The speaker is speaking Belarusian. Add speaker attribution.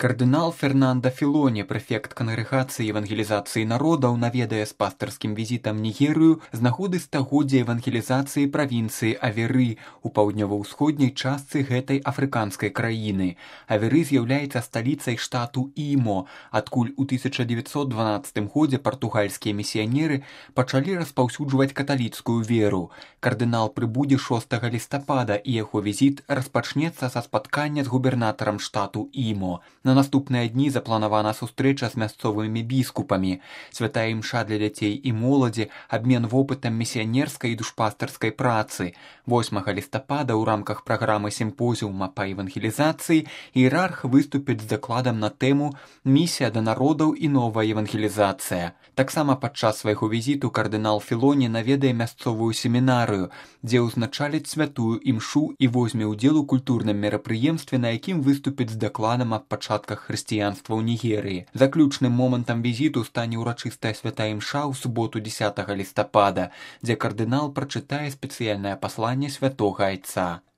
Speaker 1: Кардынал Фернандо Філоні, прэфект кангрэгацыі евангелізацыі народаў, наведае з пастырскім візітам Нігерыю з нагоды стагоддзя евангелізацыі правінцыі Аверы у паўднёва-ўсходняй частцы гэтай афрыканскай краіны. Аверы з'яўляецца сталіцай штату Імо, адкуль у 1912 годзе партугальскія місіянеры пачалі распаўсюджваць каталіцкую веру. Кардынал прыбудзе 6 лістапада, і яго візіт распачнецца са спаткання з губернатарам штату Імо. На наступныя дні запланавана сустрэча з мясцовымі біскупамі, святая імша для дзяцей і моладзі, абмен вопытам місіянерскай і душпастарскай працы. 8 лістапада ў рамках праграмы сімпозіума па евангелізацыі іерарх выступіць з дакладам на тэму «Місія да народаў і новая евангелізацыя». Таксама падчас свайго візіту кардынал Філоні наведае мясцовую семінарыю, дзе ўзначаліць святую імшу і возьме ўдзел у культурным мерапрыемстве, на якім выступіць з дакладам аб пачатках хрысціянства ў Нігерыі. Заключным момантам візіту стане ўрачыстая святая імша ў суботу 10 лістапада, дзе кардынал прачытае спецыяльнае пасланне святога айца.